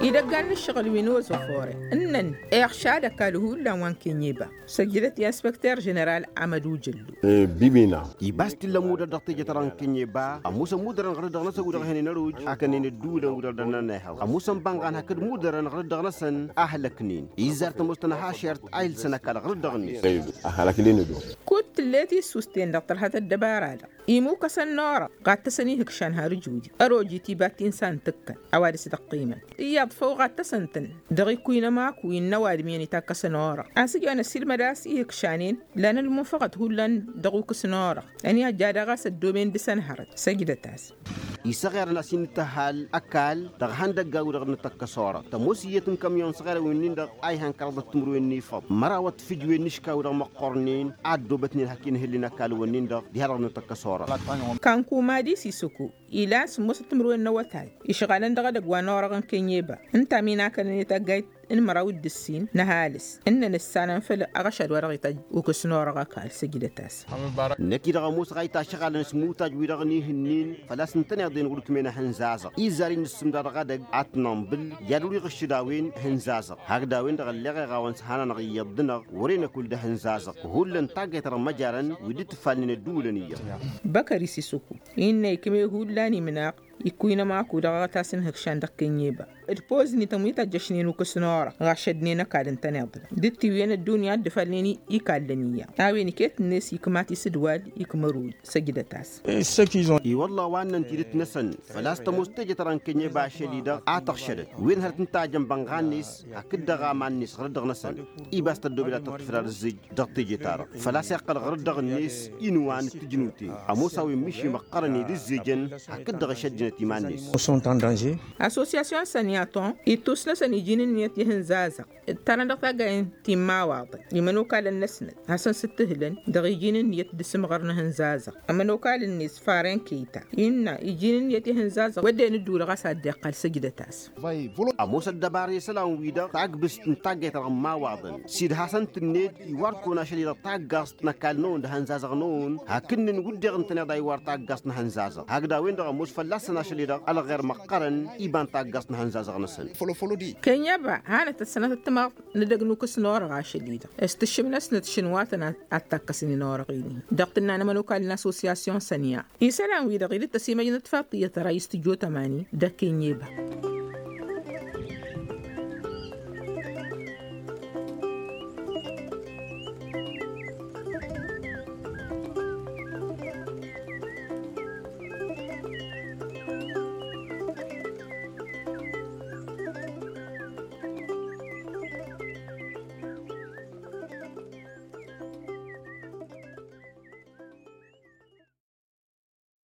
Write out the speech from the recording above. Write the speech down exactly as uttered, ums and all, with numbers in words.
Idăggan n-ǝššăɣǝl wi n-ozofore ǝnnăn iɣšad ăkall hullan wa n-kenyeba. Săjdăt i-inspăkter ženeral amădu jăllu. Bibina. Ibas t-illa ămudăr dăɣ-teje-ta-dăɣ n-kenyeba ămoosăn mudărăn ɣǝrǝddăɣ-năsăn wi-dăɣ ehănen ăroj hakănen ădduulăn wi-dăɣ dăr-nănna ihăḍ ămoosăn bănɣan hakd mudărăn ɣǝrǝddăɣ-năsăn a hălăknen. Izzar tămoos tănha ašert a ilsăn ăkall ɣǝrǝddăɣ-net. Kud tǝllet issusten dăɣ-tărha tăddăbara-dăɣ imukăsăn n-orăɣ ɣattăsăn ihǝkšan har ǝjudi ărojit iba tinsa n-tǝkkăn. A-wa dăɣ-s dăɣ-qqimăn iyyăḍ făw ɣattăsăn-tăn dăɣ-ikkuynămaku innă ăwadǝm iyyăn itakkăsăn orăɣ. Asǝjăn ăssiilmăd a-s ihǝkšanen lan ălmunfăɣăt hullan dăɣ-ukǝs n-orăɣ. Ăniihăjja daɣ a-s ăddooben dăɣ-săn hărăt săjdăt-as. Isăɣerăn a-s innă tăhal ăkall dăɣ-ihăndăgga wi-dăɣ n-tăkkăs orăɣ tămoos iyyăt n-kamyon săɣerăn wi-nin-dăɣ a ihăn kăraḍăt timǝrwen n-ifăḍ mărawăt tǝfǝjwen n-iška wi-dăɣ măqqornen a ăddoobătnen hak-inhǝllen ăkall-wǝnnin-dăɣ diha-dăɣ n-tăkkăs orăɣ. Kanku madi sisuku ilan sǝmmosăt timǝrwen n-awătay išɣalăn dăɣ-edăgg wa n-orăɣ n-kenyeba ǝnta a minakălăn i-taggayt n-măraw d-ǝssin n-ăhalǝs ǝnnăn ǝssanăn făll-aɣăšad wa dăɣ-itajj ukǝs n-orăɣ ăkall săjdăt-as. Năkk-i-dăɣ ămoosăɣ a itašăɣalăn s-imutaj-wi-dăɣ n-ihǝnnin făl-a-s ǝntăneḍ-en wăr-ǝkmen ehănzazăɣ. Izzar innă ǝssǝmda dăɣ-edăgg ad-t-nănḍǝl i-ad-wăr-iɣǝššǝd a-wen ehănzazăɣ hakd a-wen-dăɣ ălleɣ iɣawăn s-hananăɣ iyyăḍ-dăɣ wăr-e-năkull d-ehănzazăɣ. Hullan taggayt-ta-dăɣ măjarăn wi dd-tǝfalnen ădduulăn iyyăḍ. Băkări s-isǝkku innă ikme hullan imnăɣ ikkuynămaku dăɣ-aɣătas n-ihǝkšan dăɣ-kenyeba d-poznităn wi tăjjăšnen ukǝs n-orăɣ ɣašădnen ăkall ǝntăneḍ-dăɣ d-tiwǝyăn ăddunya a dd-ǝfalnen ikallăn iyyăḍ. A-wen iket-net ikmat isǝdwal ikmăruj săjdăt-as. I-wălla wa ǝnnăn tidǝt-năsăn făl-a-s tămoos teje-ta-dăɣ n-kenyeba ašăl-i-dăɣ a tăɣšădăt wen hărăt n-tajăn bănɣan-net hakd dăɣ-aman-net ɣǝrǝddăɣ-năsăn. Ibas tăddobed ad-tăḍfǝd ad-ǝzzǝj dăɣ-teje-ta-dăɣ făl-a-s iqqăl ɣǝrǝddăɣ-net inǝwan d-tǝjnuten. Ămoos a-wen miši măqqărăn i-dd-ǝzzejăn hakd-dăɣ išăjjănăt iman-net. Assosyasyon sănni aton ittus-năsăn iji n-ǝnniyăt i-ihǝnzazăɣ ǝttanăn dăɣ-taggayen ti n-imawaḍăn imănokalăn-năsnăt hasăn-sǝttǝhlăn dăɣ-iji n-ǝnniyăt d-asǝmɣăr n-ihǝnzazăɣ. Ămănokalăn-net faren keyta innă iji n-ǝnniyăt i-ihǝnzazăɣ wădden ǝddulăɣ a-s ad-dd-iqqăl săjdăt-as. Ămoos ăddăbara isălan-wi-dăɣ tagbǝst n-taggayt-ta-dăɣ n-imawaḍăn s-dd-hasăn-tǝnned iwar-kăwăn ašăl-i-dăɣ taggaẓt n-ăkall-năwăn d-ehănzazăɣ-năwăn hakd-nǝnn wǝdden ǝntăneḍ a iwar taggaẓt n-ehănzazăɣ hakd a-wen-dăɣ ămoos fălla-săn ašăl-i-dăɣ ălɣer măqqărăn iba n-taggaẓt n-ehănzazăɣ-năsăn. Kenyăba hanăt-ăssănăt ăttămaḍ n-edăgg n-ukǝs n-orăɣ ašăl-i-dăɣ s-tǝššǝm-năsnăt šǝnwa-tăn ad-takkăsnen orăɣ-i-dăɣ tǝnnanăm ănokal n-associasyon sănniya. Isălan-wi-dăɣ i-dd-tăsimăjnăt faḍt iyyăt ărayǝs tǝjjo tămani dăɣ-kenyeba.